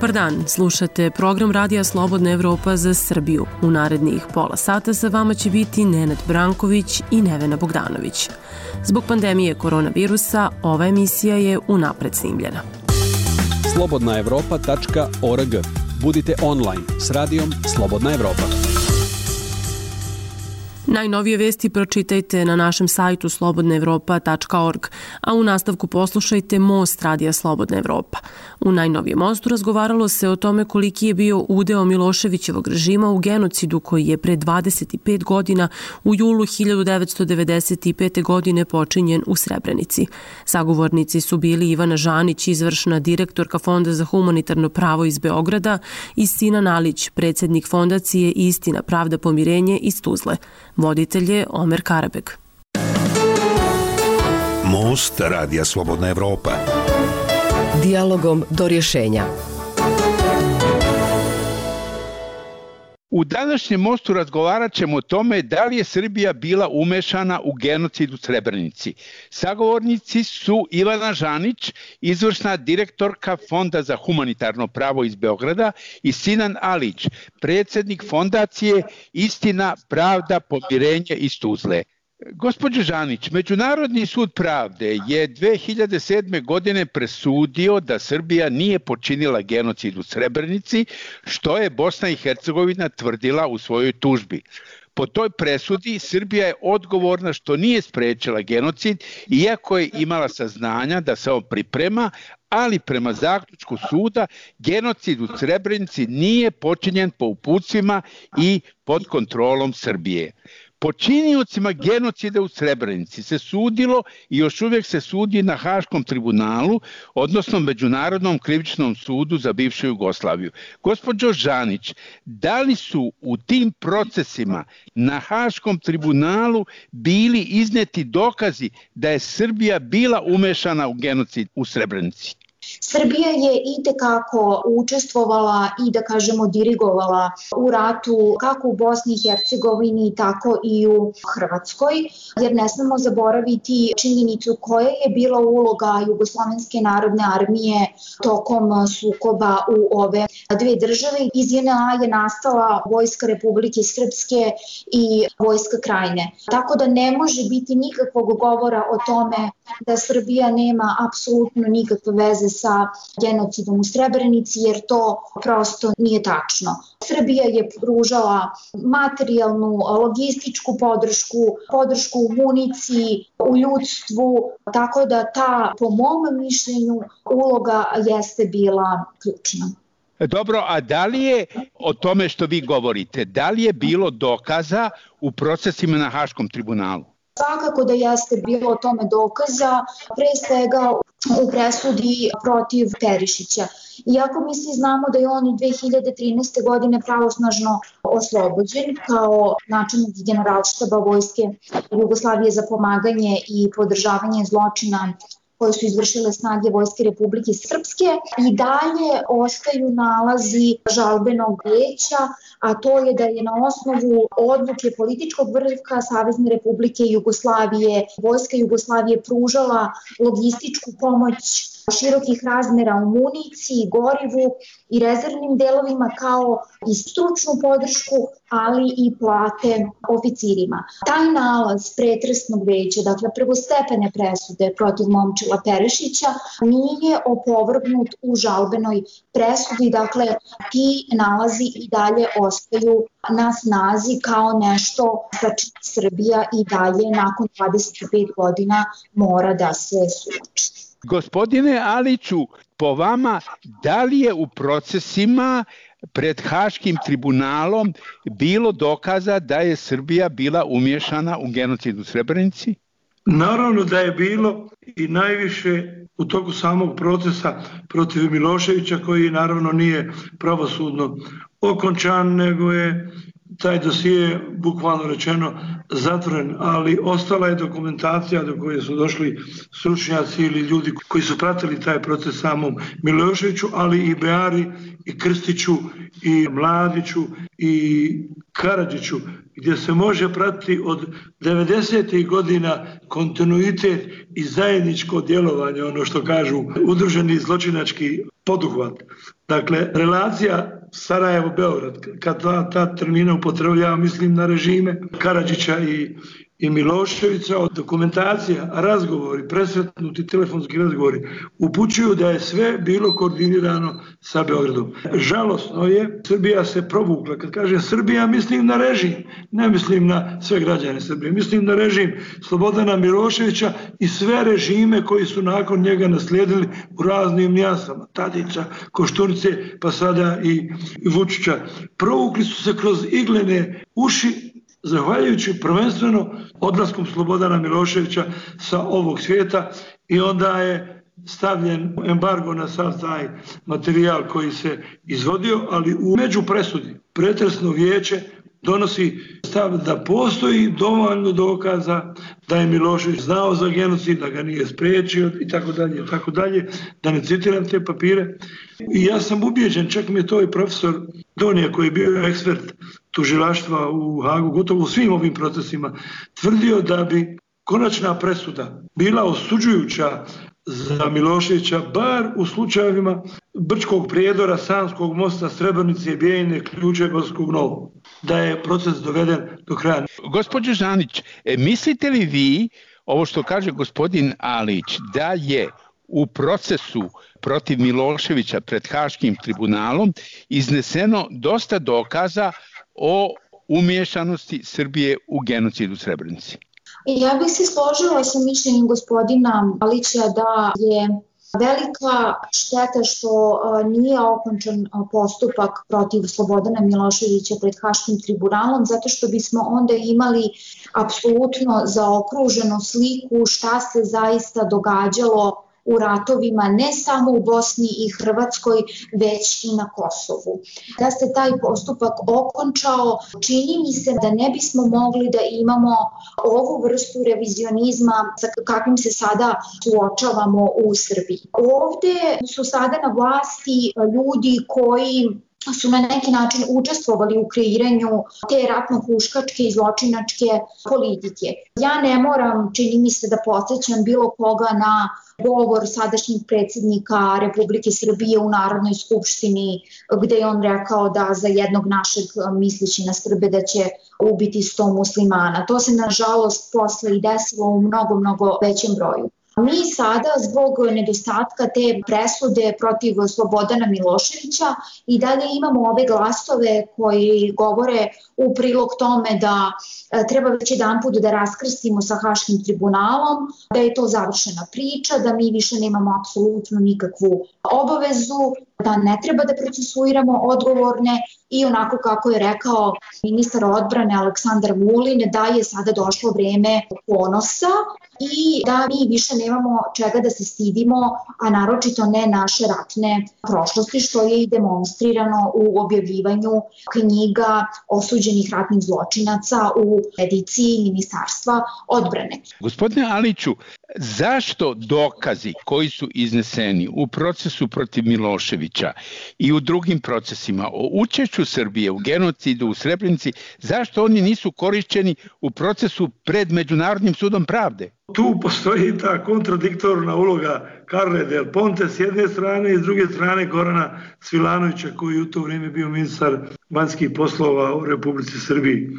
Dobar dan, slušate program Radija Slobodna Evropa za Srbiju. U narednih pola sata sa vama će biti Nenad Branković i Nevena Bogdanović. Zbog pandemije koronavirusa, ova emisija je unapred snimljena. slobodnaevropa.org. Budite online s radijom Slobodna Evropa. Najnovije vesti pročitajte na našem sajtu slobodnaevropa.org, a u nastavku poslušajte Most Radija Slobodna Evropa. U najnovijem Mostu razgovaralo se o tome koliki je bio udeo Miloševićevog režima u genocidu koji je pre 25 godina u julu 1995. godine počinjen u Srebrenici. Sagovornici su bili Ivana Žanić, izvršna direktorka Fonda za humanitarno pravo iz Beograda, i Sinan Alić, predsjednik fondacije Istina, pravda, pomirenje iz Tuzle. Voditelj je Omer Karabeg. Most Radija Slobodna Evropa. Dijalogom do rješenja. U današnjem Mostu razgovarat ćemo o tome da li je Srbija bila umešana u genocid u Srebrenici. Sagovornici su Ivana Žanić, izvršna direktorka Fonda za humanitarno pravo iz Beograda, i Sinan Alić, predsjednik fondacije Istina, pravda, pomirenje iz Tuzle. Gospođo Žanić, Međunarodni sud pravde je 2007. godine presudio da Srbija nije počinila genocid u Srebrenici, što je Bosna i Hercegovina tvrdila u svojoj tužbi. Po toj presudi Srbija je odgovorna što nije sprečila genocid, iako je imala saznanja da se on priprema, ali prema zaključku suda genocid u Srebrenici nije počinjen po uputstvima i pod kontrolom Srbije. Počiniocima genocida u Srebrenici se sudilo i još uvijek se sudi na Haškom tribunalu, odnosno Međunarodnom krivičnom sudu za bivšu Jugoslaviju. Gospođo Žanić, da li su u tim procesima na Haškom tribunalu bili izneti dokazi da je Srbija bila umešana u genocid u Srebrenici? Srbija je itekako učestvovala i da kažemo dirigovala u ratu kako u Bosni i Hercegovini tako i u Hrvatskoj, jer ne smemo zaboraviti činjenicu koja je bila uloga Jugoslovenske narodne armije tokom sukoba u ove dve države. Iz JNA je nastala Vojska Republike Srpske i Vojska Krajine. Tako da ne može biti nikakvog govora o tome da Srbija nema apsolutno nikakve veze sa genocidom u Srebrenici, jer to prosto nije tačno. Srbija je pružala materijalnu, logističku podršku u municiji, u ljudstvu, tako da ta, po mom mišljenju, uloga jeste bila ključna. Dobro, a da li je o tome što vi govorite, da li je bilo dokaza u procesima na Haškom tribunalu? Svakako da jeste bilo o tome dokaza, pre svega u presudi protiv Perišića. Iako mi svi znamo da je on 2013. godine pravosnažno oslobođen kao načelnik generalštaba Vojske Jugoslavije za pomaganje i podržavanje zločina koje su izvršile snage Vojske Republike Srpske, i dalje ostaju nalazi žalbenog vijeća, a to je da je na osnovu odluke političkog vrha Savezne Republike Jugoslavije Vojska Jugoslavije pružala logističku pomoć širokih razmera u municiji, gorivu i rezervnim delovima, kao i stručnu podršku, ali i plate oficirima. Taj nalaz pretresnog veća, dakle prvostepene presude protiv Momčila Perišića, nije opovrgnut u žalbenoj presudi, dakle ti nalazi i dalje ostaju na snazi kao nešto sa čim Srbija i dalje nakon 25 godina mora da se suoči. Gospodine Aliću, po vama, da li je u procesima pred Haškim tribunalom bilo dokaza da je Srbija bila umiješana u genocid u Srebrenici? Naravno da je bilo, i najviše u toku samog procesa protiv Miloševića, koji naravno nije pravosudno okončan, nego je taj dosije, bukvalno rečeno, zatvoren, ali ostala je dokumentacija do koje su došli stručnjaci ili ljudi koji su pratili taj proces samom Miloševiću, ali i Beari, i Krstiću, i Mladiću, i Karadžiću, gdje se može pratiti od 90. godina kontinuitet i zajedničko djelovanje, ono što kažu udruženi zločinački poduhvat. Dakle, relacija Sarajevo-Beograd, kad ta termina upotrebljava, mislim na režime Karadžića i Miloševića, dokumentacija, razgovori, presretnuti telefonski razgovori upućuju da je sve bilo koordinirano sa Beogradom. Žalosno je, Srbija se provukla. Kad kažem Srbija, mislim na režim, ne mislim na sve građane Srbije, mislim na režim Slobodana Miloševića i sve režime koji su nakon njega naslijedili u raznim nijansama, Tadića, Koštunice, pa sada i Vučića. Provukli su se kroz iglene uši, zahvaljujući prvenstveno odlaskom Slobodana Miloševića sa ovog svijeta, i onda je stavljen embargo na sav taj materijal koji se izvodio, ali u međupresudi pretresno vijeće donosi stav da postoji dovoljno dokaza da je Milošević znao za genocid, da ga nije spriječio i tako dalje, da ne citiram te papire. I ja sam ubijeđen, čak mi je to i profesor Donija, koji je bio ekspert tužilaštva u Hagu, gotovo u svim ovim procesima, tvrdio da bi konačna presuda bila osuđujuća za Miloševića, bar u slučajevima Brčkog prijedora, Sanskog mosta, Srebrenice, Bijeljine, Ključe, Gorskog Novog, da je proces doveden do kraja. Gospođo Žanić, mislite li vi, ovo što kaže gospodin Alić, da je u procesu protiv Miloševića pred Haškim tribunalom izneseno dosta dokaza o umiješanosti Srbije u genocid u Srebrenici? Ja bih se složila sa mišljenjem gospodina Alića da je velika šteta što nije okončan postupak protiv Slobodana Miloševića pred Haškim tribunalom, zato što bismo onda imali apsolutno zaokruženu sliku šta se zaista događalo u ratovima ne samo u Bosni i Hrvatskoj, već i na Kosovu. Da se taj postupak okončao, čini mi se da ne bismo mogli da imamo ovu vrstu revizionizma sa kakvim se sada suočavamo u Srbiji. Ovde su sada na vlasti ljudi koji su na neki način učestvovali u kreiranju te ratno-huškačke i zločinačke politike. Ja ne moram, čini mi se, da podsjećam bilo koga na govor sadašnjeg predsjednika Republike Srbije u Narodnoj skupštini, gde je on rekao da za jednog našeg, misleći na Srbe, da će ubiti 100 muslimana. To se nažalost posle i desilo u mnogo većem broju. Mi sada zbog nedostatka te presude protiv Slobodana Miloševića i dalje imamo ove glasove koji govore u prilog tome da treba već jedanput da raskrstimo sa Haškim tribunalom, da je to završena priča, da mi više nemamo apsolutno nikakvu obavezu, da ne treba da procesuiramo odgovorne i onako kako je rekao ministar odbrane Aleksandar Vulin, da je sada došlo vreme ponosa i da mi više nemamo čega da se stidimo, a naročito ne naše ratne prošlosti, što je i demonstrirano u objavljivanju knjiga osuđenih ratnih zločinaca u ediciji Ministarstva odbrane. Gospodine Aliću, zašto dokazi koji su izneseni u procesu protiv Miloševića i u drugim procesima o učešću Srbije u genocidu u Srebrenici, zašto oni nisu korišćeni u procesu pred Međunarodnim sudom pravde? Tu postoji ta kontradiktorna uloga Carle Del Ponte s jedne strane i s druge strane Gorana Svilanovića, koji u to vrijeme bio ministar vanjskih poslova u Republici Srbiji,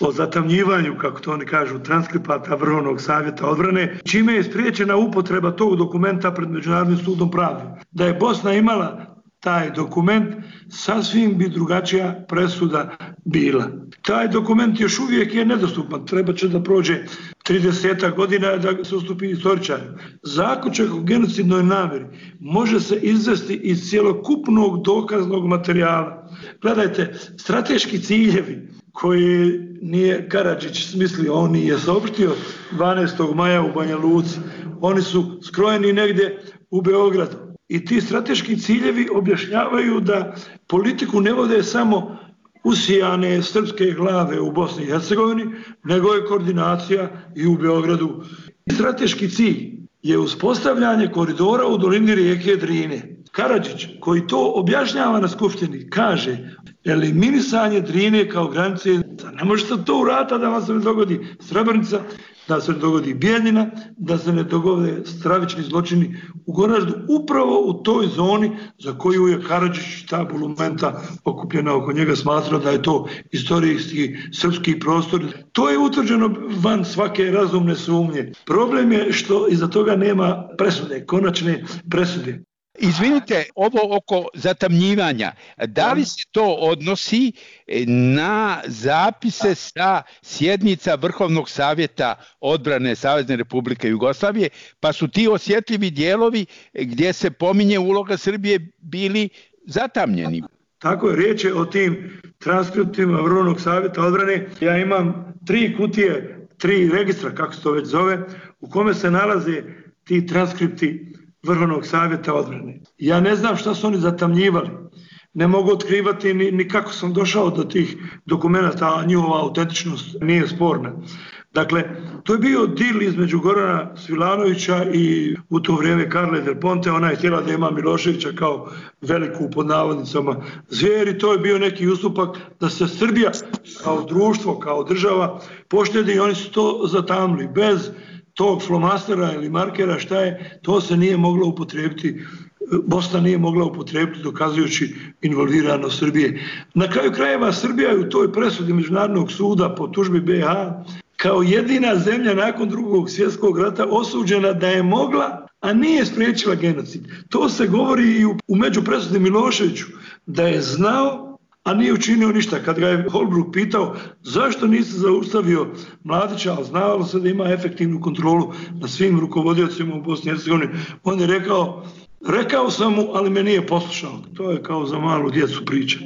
o zatamnjivanju, kako to oni kažu, transkripata Vrhovnog savjeta odbrane, čime je spriječena upotreba tog dokumenta pred Međunarodnim sudom pravde. Da je Bosna imala taj dokument, sasvim bi drugačija presuda bila. Taj dokument još uvijek je nedostupan, treba će da prođe 30 godina da se ustupi istoričar. Zaključak o genocidnoj namjeri može se izvesti iz cjelokupnog dokaznog materijala. Gledajte, strateški ciljevi koji nije Karadžić smislio, on je saopštio 12. maja u Banja Luci, oni su skrojeni negdje u Beogradu. I ti strateški ciljevi objašnjavaju da politiku ne vode samo usijane srpske glave u Bosni i Hercegovini, nego je koordinacija i u Beogradu. Strateški cilj je uspostavljanje koridora u dolini rijeke Drine. Karadžić, koji to objašnjava na skupštini, kaže eliminisanje Drine kao granice. Ne možete to uraditi da vam se ne dogodi Srebrenica da se ne dogodi Bijeljina, da se ne dogode stravični zločini u Goraždu, upravo u toj zoni za koju je Karadžić, ta bulumenta okupljena oko njega, smatrao da je to istorijski srpski prostor. To je utvrđeno van svake razumne sumnje. Problem je što iza toga nema presude, konačne presude. Izvinite, ovo oko zatamnjivanja, da li se to odnosi na zapise sa sjednica Vrhovnog savjeta odbrane Savezne Republike Jugoslavije, pa su ti osjetljivi dijelovi gdje se pominje uloga Srbije bili zatamnjeni? Tako je, riječ je o tim transkriptima Vrhovnog savjeta odbrane. Ja imam 3 kutije, 3 registra, kako se to već zove, u kome se nalaze ti transkripti Vrhovnog savjeta odbrane. Ja ne znam šta su oni zatamnjivali. Ne mogu otkrivati ni kako sam došao do tih dokumenta, a njihova autentičnost nije sporna. Dakle, to je bio dil između Gorana Svilanovića i u to vrijeme Carle del Ponte. Ona je htjela da ima Miloševića kao veliku, pod navodnicama, zvijer, i to je bio neki ustupak da se Srbija kao društvo, kao država poštedi, i oni su to zatamili. Bez tog flomastera ili markera, šta je, to se nije moglo upotrijebiti, Bosna nije mogla upotrijebiti dokazujući involviranost Srbije. Na kraju krajeva Srbija je u toj presudi Međunarodnog suda po tužbi BiH kao jedina zemlja nakon Drugog svjetskog rata osuđena da je mogla, a nije spriječila genocid. To se govori i u međupresudi Miloševiću, da je znao, a nije učinio ništa. Kad ga je Holbrooke pitao zašto nisi zaustavio Mladića, ali znalo se da ima efektivnu kontrolu na svim rukovodiocima u Bosni i Hercegovini, on je rekao sam mu, ali me nije poslušao. To je kao za malu djecu priča.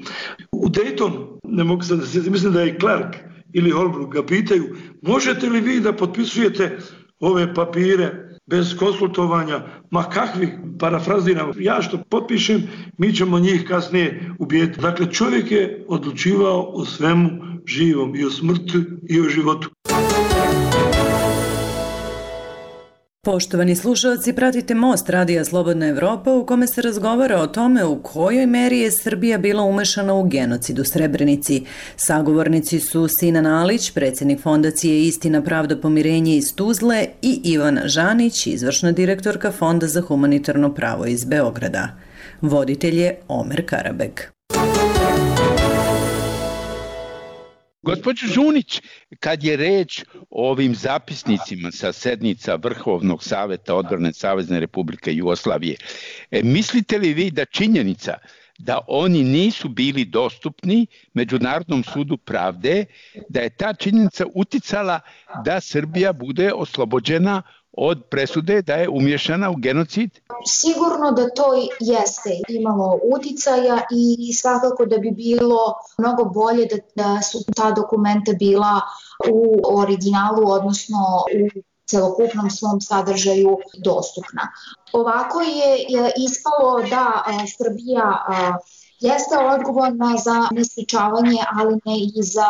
U Daytonu, ne mogu sad da se, mislim da je Clark ili Holbrooke ga pitaju, možete li vi da potpisujete ove papire bez konsultovanja, ma kakvi, parafraziram, ja što potpišem, mi ćemo njih kasnije ubijeti. Dakle, čovjek je odlučivao o svemu živom, i o smrti i o životu. Poštovani slušalci, pratite Most Radija Slobodna Evropa, u kome se razgovara o tome u kojoj meri je Srbija bila umešana u genocid u Srebrenici. Sagovornici su Sinan Alić, predsjednik Fondacije Istina, pravda, pomirenje iz Tuzle, i Ivana Žanić, izvršna direktorka Fonda za humanitarno pravo iz Beograda. Voditelj je Omer Karabeg. Gospođo Žunić, kad je reč o ovim zapisnicima sa sednica Vrhovnog savjeta odbrane Savezne Republike Jugoslavije, mislite li vi da činjenica da oni nisu bili dostupni Međunarodnom sudu pravde, da je ta činjenica uticala da Srbija bude oslobođena od presude da je umješana u genocid? Sigurno da to jeste imalo uticaja i svakako da bi bilo mnogo bolje da su ta dokumenta bila u originalu, odnosno u celokupnom svom sadržaju dostupna. Ovako je ispalo da Srbija jeste odgovorna za nesprečavanje, ali ne i za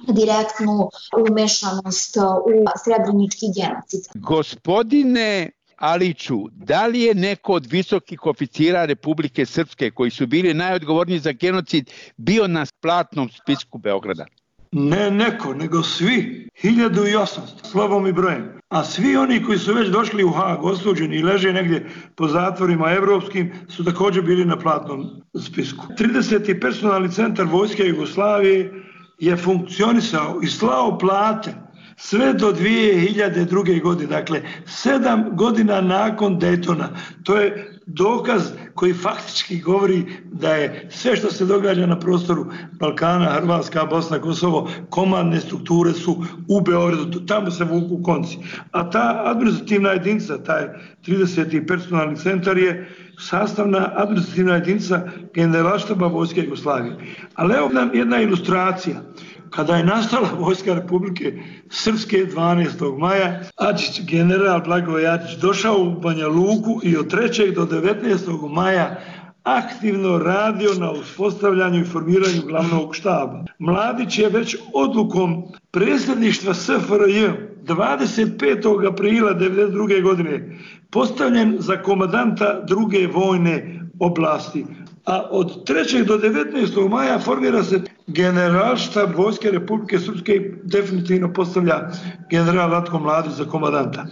direktnu umešanost u srebrenički genocid. Gospodine Aliću, da li je neko od visokih oficira Republike Srpske koji su bili najodgovorniji za genocid bio na platnom spisku Beograda? Ne neko, nego svi, 1800, slovom i brojem. A svi oni koji su već došli u Hag, osuđeni i leže negdje po zatvorima evropskim, su također bili na platnom spisku. 30. personalni centar Vojske Jugoslavije je funkcionisao i slao plate sve do 2002. godine, dakle 7 godina nakon Daytona. To je dokaz koji faktički govori da je sve što se događa na prostoru Balkana, Hrvatska, Bosna, Kosovo, komandne strukture su u Beogradu, tamo se vuku konci. A ta administrativna jedinica, taj 30. personalni centar je sastavna administrativna jedinica Generalštaba Vojske Jugoslavije. Ali evo nam jedna ilustracija. Kada je nastala Vojska Republike Srpske 12. maja, Adžić, general Blagoje Adžić, došao u Banja Luku i od 3. do 19. maja aktivno radio na uspostavljanju i formiranju glavnog štaba. Mladić je već odlukom predsjedništva SFRJ 25. aprila 1992. godine postavljen za komandanta druge vojne oblasti, a od 3. do 19. maja formira se Generalštab Vojske Republike Srpske i definitivno postavlja general Ratko Mladić za komandanta.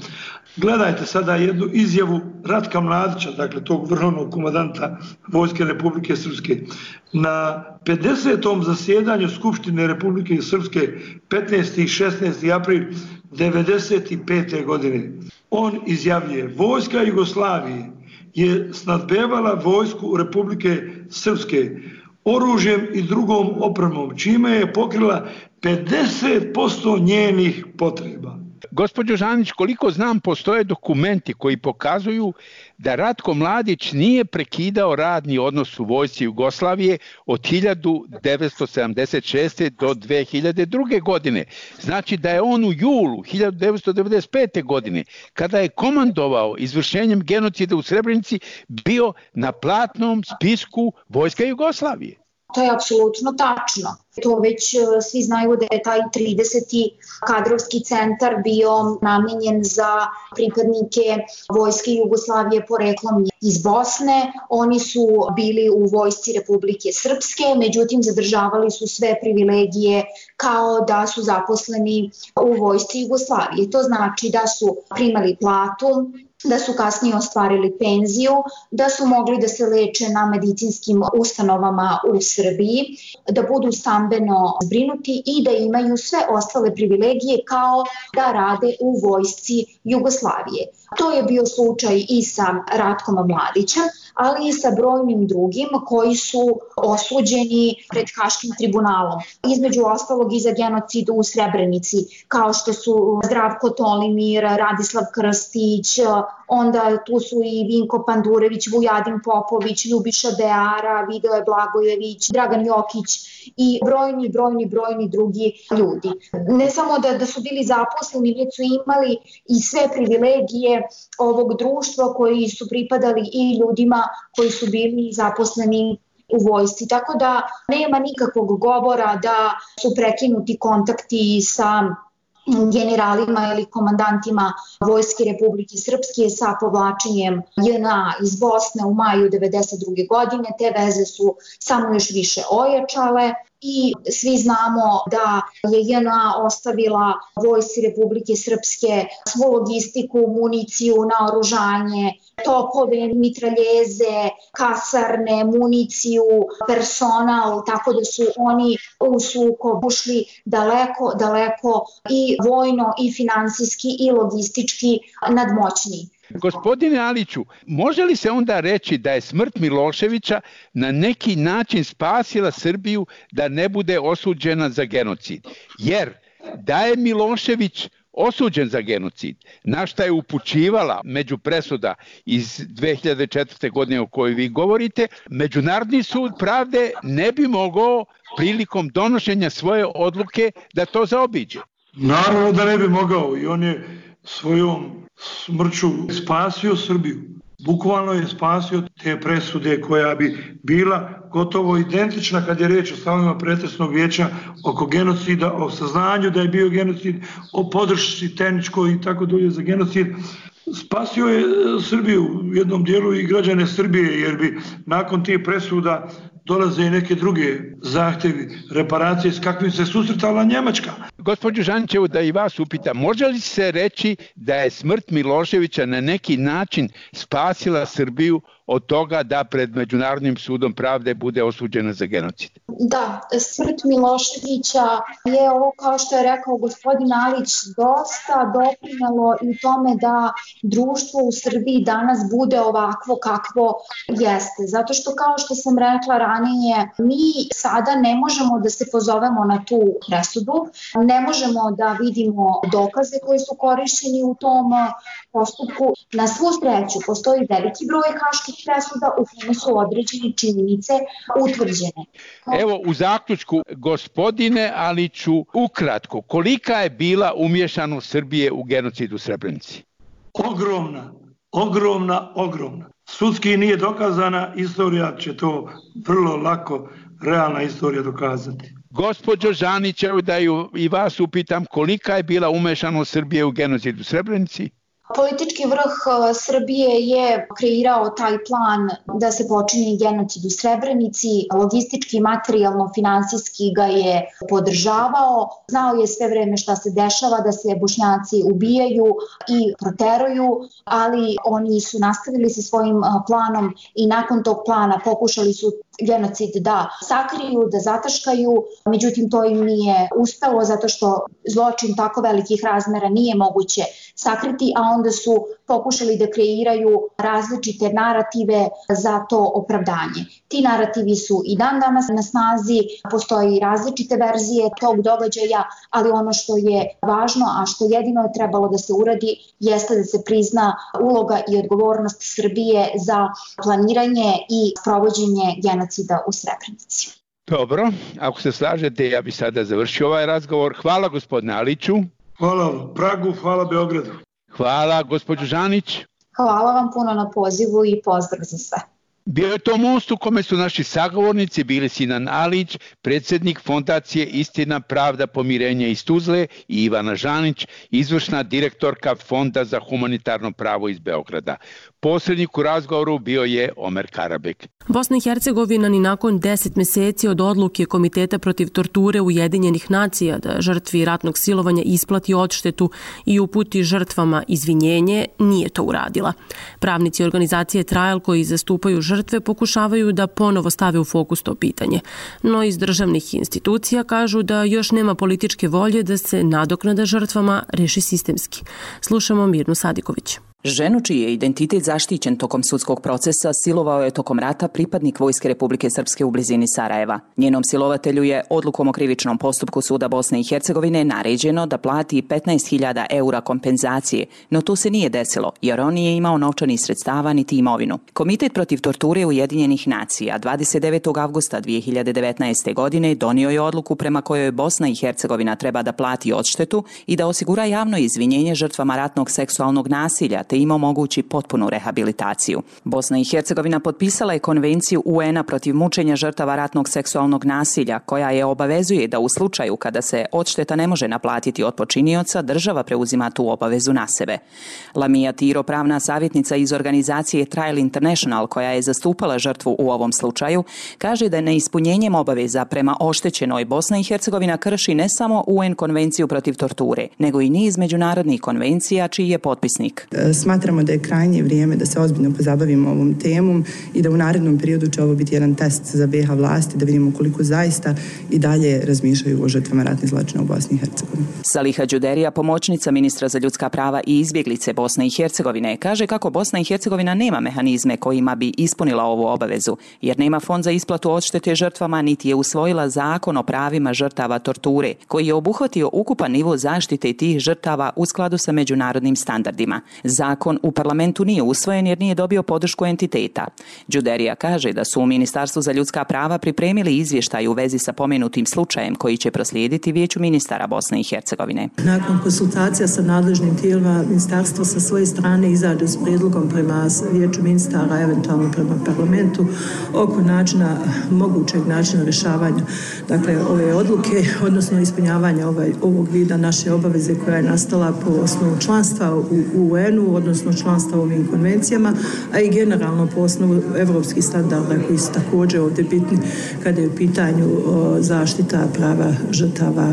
Gledajte sada jednu izjavu Ratka Mladića, dakle tog vrhovnog komandanta Vojske Republike Srpske. Na 50. zasjedanju Skupštine Republike Srpske 15. i 16. april 1995. godine on izjavljuje: Vojska Jugoslavije je snadbevala vojsku Republike Srpske oružjem i drugom opremom, čime je pokrila 50% njenih potreba. Gospođo Žanić, koliko znam, postoje dokumenti koji pokazuju da Ratko Mladić nije prekidao radni odnos u vojsci Jugoslavije od 1976. do 2002. godine. Znači da je on u julu 1995. godine, kada je komandovao izvršenjem genocida u Srebrenici, bio na platnom spisku vojska Jugoslavije. To je apsolutno tačno. To već svi znaju da je taj 30. kadrovski centar bio namenjen za pripadnike vojske Jugoslavije poreklom iz Bosne. Oni su bili u vojsci Republike Srpske, međutim zadržavali su sve privilegije kao da su zaposleni u vojsci Jugoslavije. To znači da su primali platu, da su kasnije ostvarili penziju, da su mogli da se leče na medicinskim ustanovama u Srbiji, da budu stambeno zbrinuti i da imaju sve ostale privilegije kao da rade u vojsci Jugoslavije. To je bio slučaj i sa Ratkom Mladićem, ali i sa brojnim drugim koji su osuđeni pred Haškim tribunalom. Između ostalog i za genocid u Srebrenici, kao što su Zdravko Tolimir, Radislav Krstić, onda tu su i Vinko Pandurević, Vujadin Popović, Ljubiša Beara, Vidoje Blagojević, Dragan Jokić i brojni drugi ljudi. Ne samo da su bili zaposleni, već su imali i sve privilegije ovog društva koji su pripadali i ljudima koji su bili zaposleni u vojsci. Tako da nema nikakvog govora da su prekinuti kontakti sa generalima ili komandantima Vojske Republike Srpske sa povlačenjem JNA iz Bosne u maju 1992. godine. Te veze su samo još više ojačale i svi znamo da je JNA ostavila Vojsci Republike Srpske svu logistiku, municiju, naoružanje, topove, mitraljeze, kasarne, municiju, personal, tako da su oni u sukob ušli daleko i vojno i finansijski i logistički nadmoćni. Gospodine Aliću, može li se onda reći da je smrt Miloševića na neki način spasila Srbiju da ne bude osuđena za genocid? Jer da je Milošević osuđen za genocid, na šta je upućivala među presuda iz 2004. godine o kojoj vi govorite, Međunarodni sud pravde ne bi mogao prilikom donošenja svoje odluke da to zaobiđe. Naravno da ne bi mogao i on je svojom smrću spasio Srbiju. Bukvalno je spasio te presude koja bi bila gotovo identična kad je reč o stavovima pretresnog vijeća oko genocida, o saznanju da je bio genocid, o podršci tehničkoj i tako dalje za genocid. Spasio je Srbiju u jednom dijelu i građane Srbije, jer bi nakon tih presuda dolaze i neke druge zahtevi, reparacije s kakvim se susretala Njemačka. Gospođo Žanićevo, da i vas upitam, može li se reći da je smrt Miloševića na neki način spasila Srbiju od toga da pred Međunarodnim sudom pravde bude osuđena za genocid? Da, smrt Miloševića je ovo, kao što je rekao gospodin Alić, dosta doprinelo i tome da društvo u Srbiji danas bude ovakvo kakvo jeste. Zato što, kao što sam rekla ranije, mi sada ne možemo da se pozovemo na tu presudu, ne možemo da vidimo dokaze koji su korišćeni u tom postupku. Na svu sreću postoji veliki broj haških presuda u kojima su određene činjenice utvrđene. Evo, u zaključku, gospodine Aliću, ukratko, kolika je bila umješanost Srbije u genocid u Srebrenici? Ogromna. Sudski nije dokazana, istorija će to vrlo lako, realna istorija dokazati. Gospođo Žanić, evo da i vas upitam, kolika je bila umješanost Srbije u genocid u Srebrenici? Politički vrh Srbije je kreirao taj plan da se počini genocid u Srebrenici, logistički, materijalno, finansijski ga je podržavao, znao je sve vreme šta se dešava, da se Bošnjaci ubijaju i proteruju, ali oni su nastavili sa svojim planom i nakon tog plana pokušali su genocid da sakriju, da zataškaju, međutim to im nije uspelo zato što zločin tako velikih razmera nije moguće sakriti, a onda su pokušali da kreiraju različite narative za to opravdanje. Ti narativi su i dan danas na snazi, postoji različite verzije tog događaja, ali ono što je važno, a što jedino je trebalo da se uradi, jeste da se prizna uloga i odgovornost Srbije za planiranje i provođenje genocida u Srebrenici. Dobro, ako se slažete, ja bih sada završio ovaj razgovor. Hvala gospodine Aliću. Hvala Pragu, hvala Beogradu. Hvala gospođo Žanić. Hvala vam puno na pozivu i pozdrav za sve. Bio je to most u kome su naši sagovornici bili Sinan Alić, predsjednik Fondacije Istina, pravda, pomirenje iz Tuzle, i Ivana Žanić, izvršna direktorka Fonda za humanitarno pravo iz Beograda. Posrednik u razgovoru bio je Omer Karabek. Bosna i Hercegovina ni nakon 10 meseci od odluke Komiteta protiv torture Ujedinjenih nacija da žrtvi ratnog silovanja isplati odštetu i uputi žrtvama izvinjenje, nije to uradila. Pravnici organizacije Trial koji zastupaju žrtve pokušavaju da ponovo stave u fokus to pitanje, no iz državnih institucija kažu da još nema političke volje da se nadoknada žrtvama reši sistemski. Slušamo Mirnu Sadiković. Ženu čiji je identitet zaštićen tokom sudskog procesa silovao je tokom rata pripadnik Vojske Republike Srpske u blizini Sarajeva. Njenom silovatelju je odlukom o krivičnom postupku Suda Bosne i Hercegovine naređeno da plati 15.000 eura kompenzacije, no to se nije desilo jer on nije imao novčanih sredstava niti imovinu. Komitet protiv torture Ujedinjenih nacija 29. avgusta 2019. godine donio je odluku prema kojoj Bosna i Hercegovina treba da plati odštetu i da osigura javno izvinjenje žrtvama ratnog seksualnog nasilja te im omogući potpunu rehabilitaciju. Bosna i Hercegovina potpisala je konvenciju UN-a protiv mučenja žrtava ratnog seksualnog nasilja, koja je obavezuje da u slučaju kada se odšteta ne može naplatiti od počinioca, država preuzima tu obavezu na sebe. Lamija Tiro, pravna savjetnica iz organizacije Trial International, koja je zastupala žrtvu u ovom slučaju, kaže da neispunjenjem obaveza prema oštećenoj Bosna i Hercegovina krši ne samo UN konvenciju protiv torture, nego i niz međunarodnih konvencija čiji je potpisnik. Smatramo da je krajnje vrijeme da se ozbiljno pozabavimo ovom temom i da u narednom periodu će ovo biti jedan test za BiH vlasti, da vidimo koliko zaista i dalje razmišljaju o žrtvama ratnih zločina u Bosni i Hercegovini. Saliha Đuderija, pomoćnica ministra za ljudska prava i izbjeglice Bosne i Hercegovine, kaže kako Bosna i Hercegovina nema mehanizme kojima bi ispunila ovu obavezu, jer nema fond za isplatu odštete žrtvama, niti je usvojila zakon o pravima žrtava torture, koji je obuhvatio ukupan nivo zaštite tih žrtava u skladu sa međunarodnim standardima. Zakon u parlamentu nije usvojen jer nije dobio podršku entiteta. Đuderija kaže da su u Ministarstvu za ljudska prava pripremili izvještaj u vezi sa pomenutim slučajem koji će proslijediti Vijeću ministara Bosne i Hercegovine. Nakon konsultacija sa nadležnim tijelima, ministarstvo sa svoje strane izađe s prijedlogom prema Vijeću ministara, eventualno prema parlamentu, oko mogućeg načina rješavanja ove odluke, odnosno ispunjavanja ovog vida naše obaveze koja je nastala po osnovu članstva u UN-u, odnosno članstva u ovim konvencijama, a i generalno po osnovu evropskih standarda koji su također ovdje bitni kada je u pitanju zaštita prava žrtava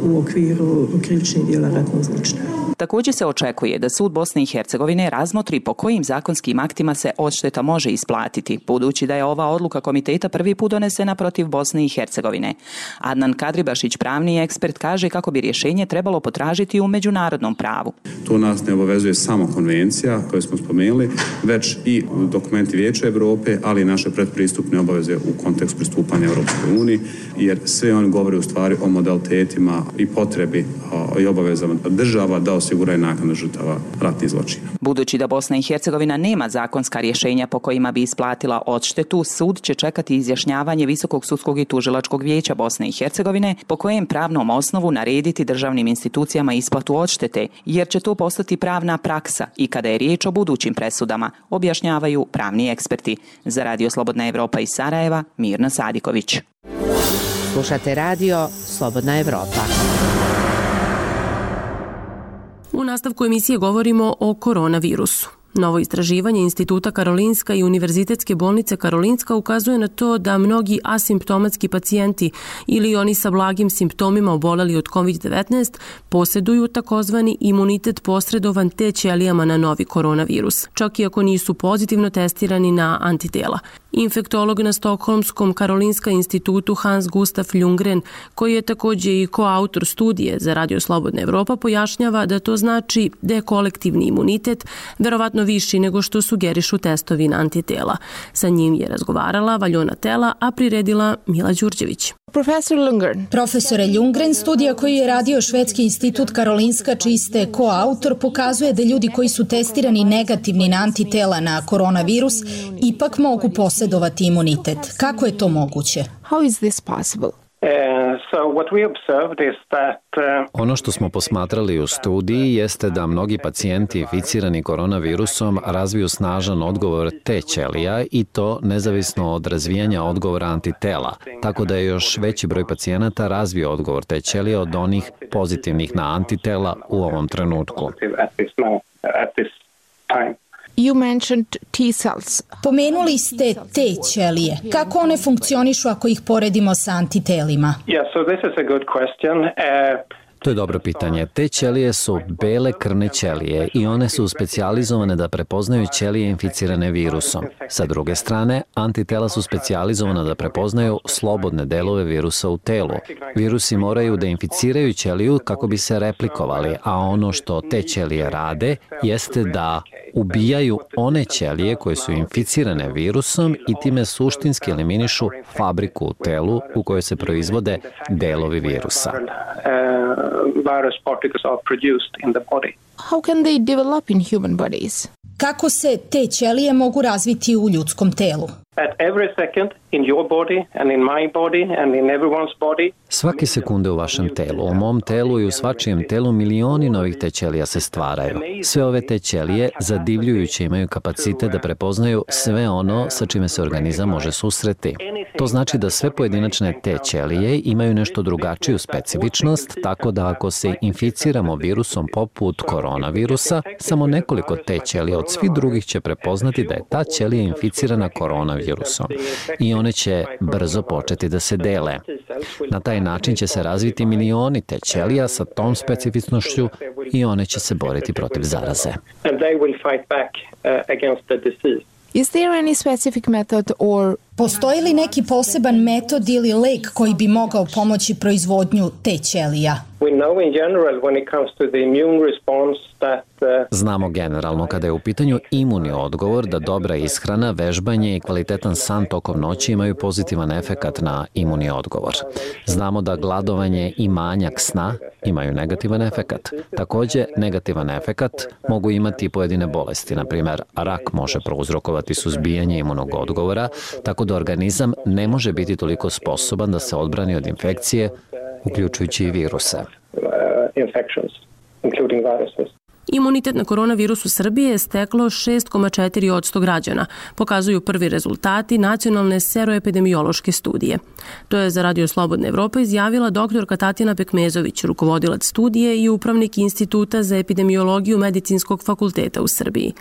u okviru krivičnih djela ratnog zločina. Također se očekuje da Sud Bosne i Hercegovine razmotri po kojim zakonskim aktima se odšteta može isplatiti, budući da je ova odluka komiteta prvi put donesena protiv Bosne i Hercegovine. Adnan Kadribašić, pravni ekspert, kaže kako bi rješenje trebalo potražiti u međunarodnom pravu. To nas ne obavezuje samo konvencija koju smo spomenuli, već i dokumenti Vijeća Europe, ali i naše predpristupne obaveze u kontekstu pristupanja Europskoj uniji, jer sve oni govore u stvari o modalitetima i potrebi i obavezama država da osiguraju naknadu žrtava ratnih zločina. Budući da Bosna i Hercegovina nema zakonska rješenja po kojima bi isplatila odštetu, sud će čekati izjašnjavanje Visokog sudskog i tužilačkog vijeća Bosne i Hercegovine po kojem pravnom osnovu narediti državnim institucijama isplatu odštete, jer će to postati pravna praksa i kada je riječ o budućim presudama, objašnjavaju pravni eksperti. Za Radio Slobodna Evropa iz Sarajeva, Mirna Sadiković. Slušate radio Slobodna Evropa. U nastavku emisije govorimo o koronavirusu. Novo istraživanje Instituta Karolinska i Univerzitetske bolnice Karolinska ukazuje na to da mnogi asimptomatski pacijenti ili oni sa blagim simptomima oboleli od COVID-19 posjeduju takozvani imunitet posredovan T ćelijama na novi koronavirus, čak i ako nisu pozitivno testirani na antitela. Infektolog na Stokholmskom Karolinska institutu Hans Gustaf Ljunggren, koji je također i koautor studije za Radio Slobodna Evropa, pojašnjava da to znači da je kolektivni imunitet verovatno viši nego što sugerišu testovi na antitela. Sa njim je razgovarala Valjona Tela, a priredila Mila Đurđević. Profesore Ljunggren, studija koju je radio Švedski institut Karolinska, čiji ste koautor, pokazuje da ljudi koji su testirani negativni na antitela na koronavirus ipak mogu posjedovati imunitet. Kako je to moguće? Ono što smo posmatrali u studiji jeste da mnogi pacijenti inficirani koronavirusom razviju snažan odgovor T ćelija i to nezavisno od razvijanja odgovora antitela, tako da je još veći broj pacijenata razvio odgovor T ćelija od onih pozitivnih na antitela u ovom trenutku. Pomenuli ste T ćelije. Kako one funkcionišu ako ih poredimo sa antitelima? To je dobro pitanje. Te ćelije su bele krvne ćelije i one su specijalizovane da prepoznaju ćelije inficirane virusom. Sa druge strane, antitela su specijalizovana da prepoznaju slobodne delove virusa u telu. Virusi moraju da inficiraju ćeliju kako bi se replikovali, a ono što te ćelije rade jeste da ubijaju one ćelije koje su inficirane virusom i time suštinski eliminišu fabriku u telu u kojoj se proizvode delovi virusa. Kako se te ćelije mogu razviti u ljudskom telu? Svake sekunde u vašem telu, u mom telu i u svačijem telu milioni novih T ćelija se stvaraju. Sve ove T ćelije zadivljujuće imaju kapacitet da prepoznaju sve ono sa čime se organizam može susreti. To znači da sve pojedinačne T ćelije imaju nešto drugačiju specifičnost, tako da ako se inficiramo virusom poput koronavirusa, samo nekoliko T ćelija od svih drugih će prepoznati da je ta ćelija inficirana koronavirusom i one će brzo početi da se dele. Na taj način će se razviti milioni T ćelija sa tom specifičnošću i one će se boriti protiv zaraze. Postoji li neki poseban metod ili lek koji bi mogao pomoći proizvodnju T ćelija? Znamo generalno kada je u pitanju imuni odgovor da dobra ishrana, vežbanje i kvalitetan san tokom noći imaju pozitivan efekat na imuni odgovor. Znamo da gladovanje i manjak sna imaju negativan efekat. Također, negativan efekat mogu imati pojedine bolesti. Na primjer, rak može prouzrokovati suzbijanje imunog odgovora, tako da organizam ne može biti toliko sposoban da se odbrani od infekcije, uključujući i viruse. Imunitet na koronavirus u Srbiji je steklo 6,4% građana, pokazuju prvi rezultati nacionalne seroepidemiološke studije. To je za Radio Slobodna Evropa izjavila doktorka Tatjana Pekmezović, rukovodilac studije i upravnik Instituta za epidemiologiju Medicinskog fakulteta u Srbiji.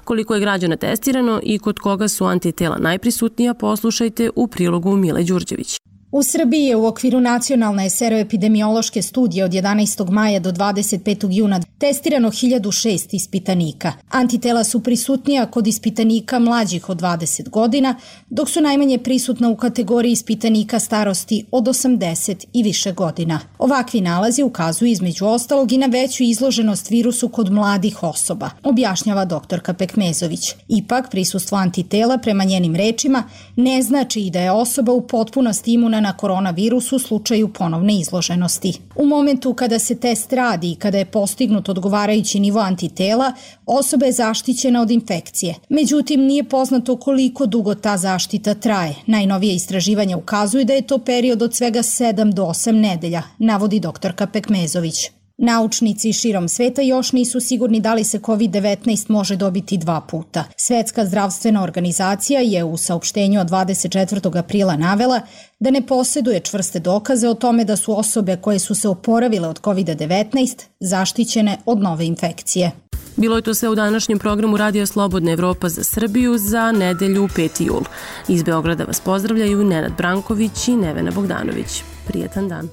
Koliko je građana testirano i kod koga su antitela najprisutnija, poslušajte u prilogu Mile Đurđević. U Srbiji je u okviru nacionalne seroepidemiološke studije od 11. maja do 25. juna testirano 1006 ispitanika. Antitela su prisutnija kod ispitanika mlađih od 20 godina, dok su najmanje prisutna u kategoriji ispitanika starosti od 80 i više godina. Ovakvi nalazi ukazuju između ostalog i na veću izloženost virusu kod mladih osoba, objašnjava doktorka Pekmezović. Ipak, prisustvo antitela, prema njenim rečima, ne znači i da je osoba u potpunosti imuna na koronavirus u slučaju ponovne izloženosti. U momentu kada se test radi i kada je postignut odgovarajući nivo antitela, osoba je zaštićena od infekcije. Međutim, nije poznato koliko dugo ta zaštita traje. Najnovije istraživanja ukazuju da je to period od svega 7 do 8 nedelja, navodi doktorka Pekmezović. Naučnici širom sveta još nisu sigurni da li se COVID-19 može dobiti 2 puta. Svetska zdravstvena organizacija je u saopštenju od 24. aprila navela da ne posjeduje čvrste dokaze o tome da su osobe koje su se oporavile od COVID-19 zaštićene od nove infekcije. Bilo je to sve u današnjem programu Radija Slobodna Evropa za Srbiju za nedelju 5. jul. Iz Beograda vas pozdravljaju Nenad Branković i Nevena Bogdanović. Prijetan dan.